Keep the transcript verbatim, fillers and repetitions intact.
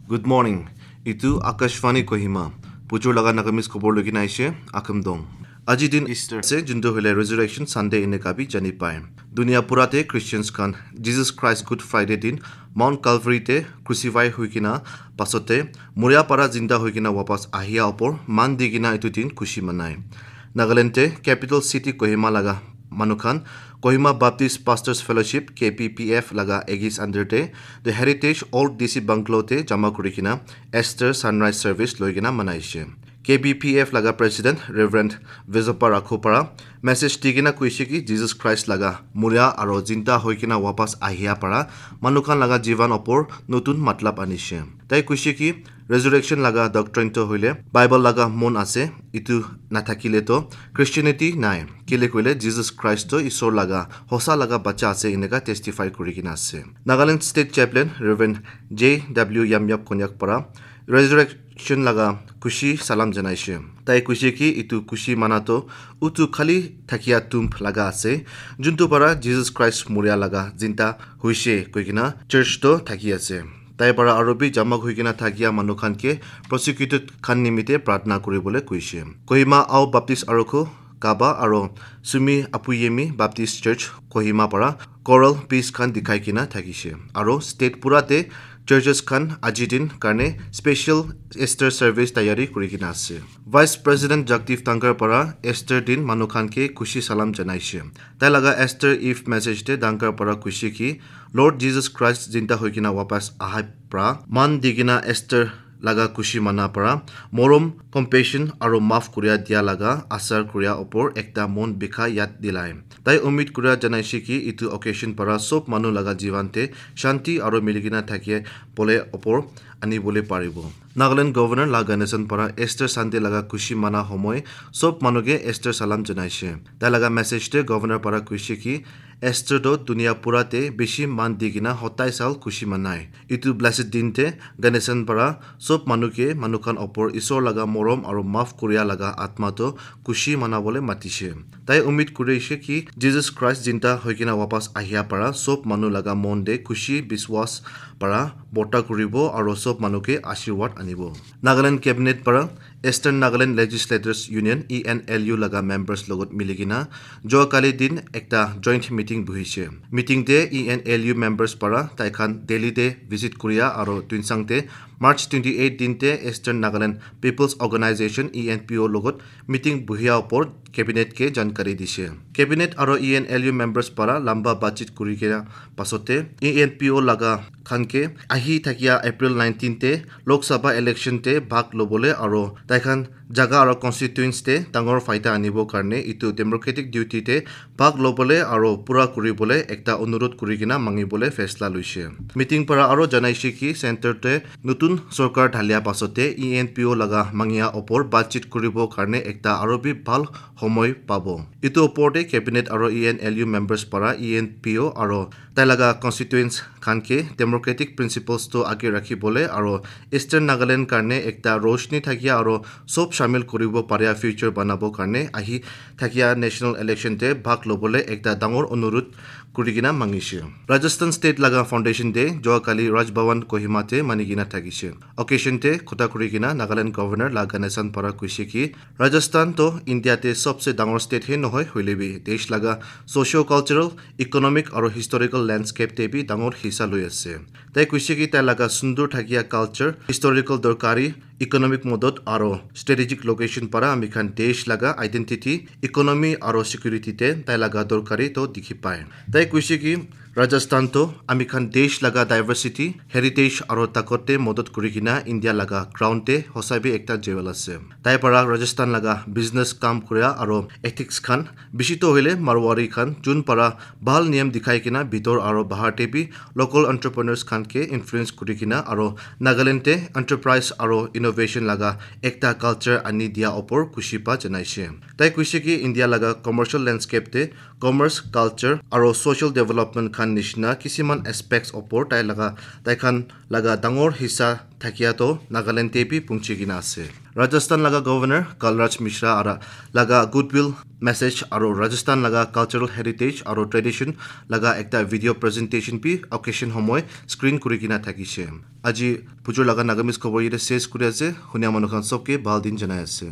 Good morning. Itu Akashvani Kohima. Pujur laga Nagamis খবৰ লৈ কিনে আহিছে আখমদং। আজি দিন ইষ্টাৰ আছে, যোনটো হ'লে ৰেজুৰেকশ্যন ছানডে এনেকা বি জানি পায়। দুনিয়া পুৰাতে খ্ৰীষ্টিয়ানছ খান জিজাছ খ্ৰাইষ্ট গুড ফ্ৰাইডে দিন মাউণ্ট কালভাৰীতে ক্ৰুচিফাই হৈ কিনা পাছতে মৰিয়া পাৰা জিন্দা হৈ কিনা ৱাপাছ আহিয়া ওপৰ মান দি কিনা এইটো দিন খুচি মনায়। নাগালেণ্ডে কেপিটেল চিটি কহিমা লগা মানুহখান Kohima Baptist pastors fellowship K P P F লগা এগিছ আণ্ডাৰতে the heritage old D C বাংলোতে জমা কৰি কিনা এষ্টাৰ ছানৰাইজ ছাৰ্ভিচ লৈ কিনা মনাইছে। কে বি পি এফ লগা president reverend Vejpa Rakhopara message দি কিনা কৈছে কি জিজাছ খ্ৰাইষ্ট লগা মৰিয়া আৰু জিন্দা হৈ কিনা ৱাপাছ আহিয়া পাৰা মানুহখান লগা জীৱন ওপৰ নতুন মতলব আনিছে। তাই কৈছে কি ৰেজুৰেকশ্যন লগা ডক্ট্ৰিনটো হ'লে বাইবল লগা মন আছে, ইটো নাথাকিলেতো খ্ৰীষ্টিয়ানিটি নাই। কেলে কৈলে জিজাছ খ্ৰাইষ্ট ঈশ্বৰ লগা সঁচা লগা বাচ্চা আছে, এনেকা টেষ্টিফাই কৰি কিনা আছে। নাগালেণ্ড ষ্টেট চেপলেন ৰেভেণ্ড জে ডাব্লিউ য়াময়াপ কন্যাক পৰা ৰেজুৰেকশ্যন লগা খুচি চালাম জনাইছে। তাই কৈছে কি ইটো খুচি মানাটো উটো খালী থাকিয়া তুম্প লগা আছে, যোনটো পৰা জিজাছ খ্ৰাইষ্ট মৰিয়া লগা জিন্তা হৈছে কৈ কিনা চাৰ্চটো থাকি আছে। তাইৰ পৰা আৰু বি জমা হৈ কিনা থাকিয়া মানুহখানকে প্ৰচিকিউটেড খান নিমিত্তে প্ৰাৰ্থনা কৰিবলৈ কৈছে। কহিমা আও বাপ্তিষ্ট আৰক্ষী কাবা আৰু চুমি আপুয়েমি বাপ্তিষ্ট চাৰ্চ কহিমা পৰা কৰেল পিচ খান দেখাই কিনা থাকিছে আৰু ষ্টেট পুৰাতে চাৰ্চেছ খান আজি দিন কাৰণে স্পেচিয়েল এষ্টাৰ ছাৰ্ভিচ তৈয়াৰী কৰি কিনা আছে। ভাইচ প্ৰেচিডেণ্ট জগদীপ ধনখৰ পৰা এষ্টাৰ দিন মানুহখানকে খুচি চালাম জনাইছে। তাই লগা এষ্টাৰ if মেছেজতে ধনখৰ পৰা কৈছে কি লৰ্ড জিজাছ খ্ৰাইষ্ট জিন্দা হৈ কিনা ৱাপাছ আহাই পৰা মান দি কিনা এষ্টাৰ লগা খুচি মানা পৰা মৰম, কম্পেশ্যন আৰু মাফ কৰিয়া দিয়া লগা আচাৰ কৰিয়া ওপৰ একটা মন বিষা ইয়াত দিলাই। তাই উম্মিদ কৰিয়া জনাইছে কি ইটো অকেশ্যন পৰা চব মানুহ লগা জীৱনতে শান্তি আৰু মিলি কিনা থাকিয়ে বলে ওপৰ আনিবলৈ পাৰিব। নাগালেণ্ড গভৰ্ণৰ লা গণেশন পৰা এষ্টাৰ চানডে লগা খুচি মানা সময় চব মানুহকে এষ্টাৰ চালাম জনাইছে। তাই লগা মেছেজতে গভৰ্ণৰ পৰা কৈছে কি এষ্টাৰটো দুনিয়া পুৰাতে বেছি মান দি কিনা সতাই চাল খুচি মানায়। ইটো ব্লেছেড দিনতে গণেশন পৰা চব মানুহকে মানুহখান ওপৰ ঈশ্বৰ লগা মৰম আৰু মাফ কৰিয়া লগা আত্মাটো খুচি মানাবলৈ মাতিছে। তাই উম্মিদ কৰিছে কি জিজাছ খ্ৰাইষ্ট জিন্দা হৈ কিনা ৱাপাছ আহিয়া পৰা চব মানুহ লগা মন দে খুচি বিশ্বাস পৰা বৰ্তা কৰিব আৰু চব মানুহকে আশীৰ্বাদ আনিব। নাগালেণ্ড কেবিনেট পৰা eastern Nagaland legislators union E N L U লগা মেম্বাৰ্ছ লগত মিলি কিনা যোৱাকালি দিন একটা জইণ্ট মিটিং বহিছে। মিটিংতে E N L U members পৰা তাইখান দিল্লীতে ভিজিট কৰিয়া আৰু টুইনচাংতে মাৰ্চ টুৱেণ্টি এইট দিনতে eastern Nagaland people's organisation E N P অ' লগত মিটিং বহিয়া ওপৰত কেবিনেটকে জানকাৰী দিছে। কেবিনেট আৰু E N L U members পৰা লম্বা বাতচিত কৰি কিনা পাছতে ই এন পি অ' লগা খানকে আহি থাকিয়া এপ্ৰিল নাইনটিনতে লোকসভা ইলেকশ্যনতে ভাগ ল'বলৈ আৰু তাইখান জাগা আৰু কনষ্টিটুৱেঞ্চতে ডাঙৰ ফাইদা আনিবৰ কাৰণে ইটো ডেম'ক্ৰেটিক ডিউটিতে ভাগ ল'বলৈ আৰু পূৰা কৰিবলৈ একটা অনুৰোধ কৰি কিনা মাঙিবলৈ ফেচলা লৈছে। মিটিং পৰা আৰু জনাইছে কি চেণ্টাৰটোৱে নতুন চৰকাৰ ঢালিয়া পাছতে ই এন পি অ' লগা মাঙিয়া ওপৰ বাতচিত কৰিবৰ কাৰণে একটা আৰু বি ভাল সময় পাব। ইটো ওপৰতে কেবিনেট আৰু E N L U members পৰা ই এন পি অ' আৰু তাই লগা কনষ্টিটুৱেঞ্চ খানকে ডেম'ক্ৰেটিক প্ৰিন্সিপলছটো আগে ৰাখিবলৈ আৰু ইষ্টাৰ্ণ নাগালেণ্ড কাৰণে একটা ৰোশনী থাকিয়া আৰু চব চামিল কৰিব পাৰিয়া ফিউচাৰ বনাবৰ কাৰণে আহি থাকিয়া নেশ্যনেল ইলেকশ্যনতে ভাগ ল'বলৈ একটা ডাঙৰ অনুৰোধ কৰি কিনা মাঙিছে। ৰাজস্থান ষ্টেট লগা ফাউণ্ডেশ্যন ডে যোৱাকালি ৰাজভৱন কহিমাতে মানি কিনা থাকিছে। অকেশ্যনতে কথা কৰি কিনা নাগালেণ্ড গভৰ্ণৰ লা গণেশন পৰা কৈছে কি ৰাজস্থানটো ইণ্ডিয়াতে চবচে ডাঙৰ ষ্টেটহে নহয়, হ'লেবি দেশ লগা ছ'চিঅ' কালচাৰেল, ইকনমিক আৰু হিষ্টৰিকেল লেণ্ডস্কেপতে বি ডাঙৰ হিচা লৈ আছে। তাই কৈছে কি তাই লগা সুন্দৰ থাকিয়া কালচাৰ, হিষ্টৰিকেল দৰকাৰী, ইকনমিক মদত আৰু ষ্ট্ৰেটেজিক লোকেশ্যন পৰা আমি খান দেশ লগা আইডেণ্টিটি, ইকনমি আৰু ছিকিউৰিটিতে তাই লগা দৰকাৰী তো দেখি পায়। তাই কৈছে কি ৰাজস্থানটো আমি খান দেশ লগা ডাইভাৰ্চিটি, হেৰিটেজ আৰু তাকতে মদত কৰি কিনা ইণ্ডিয়া লগা ক্ৰাউনতে সঁচাবি একটা জেৱেল আছে। তাই পৰা ৰাজস্থান লগা বিজনেছ কাম কৰা আৰু এথিক্স খান বেছিতো হ'লে মাৰৱাৰী খান যোন পৰা ভাল নিয়ম দেখাই কিনা ভিতৰ আৰু বাহাৰতে বি লোকেল এণ্টাৰপ্ৰেনাৰ্ছ খানকে ইনফ্লুৱেঞ্চ কৰি কিনা আৰু নাগালেণ্ডে এণ্টাৰপ্ৰাইজ আৰু ইন'ভেশ্যন লগা একটা কালচাৰ আনি দিয়া ওপৰ খুচি পা জনাইছে। তাই কৈছে কি ইণ্ডিয়া লগা কমাৰ্চিয়েল লেণ্ডস্কেপতে কমাৰ্চ, কালচাৰ আৰু ছ'চিয়েল ডেভেলপমেণ্ট খান khan nishina kisiman aspects opor tai laga taikhan laga dangor hissa thakia toh Nagaland te bi pungchi kena ase. Rajasthan laga governor Kalraj Mishra ara laga goodwill message aro Rajasthan laga cultural heritage aro tradition laga ekta video presentation bi occasion homoi screen kurikena thakishe. Aji pujur laga Nagamese khobor yate ses kuri ase. Hunia manu khan sobke bhal din janai ase.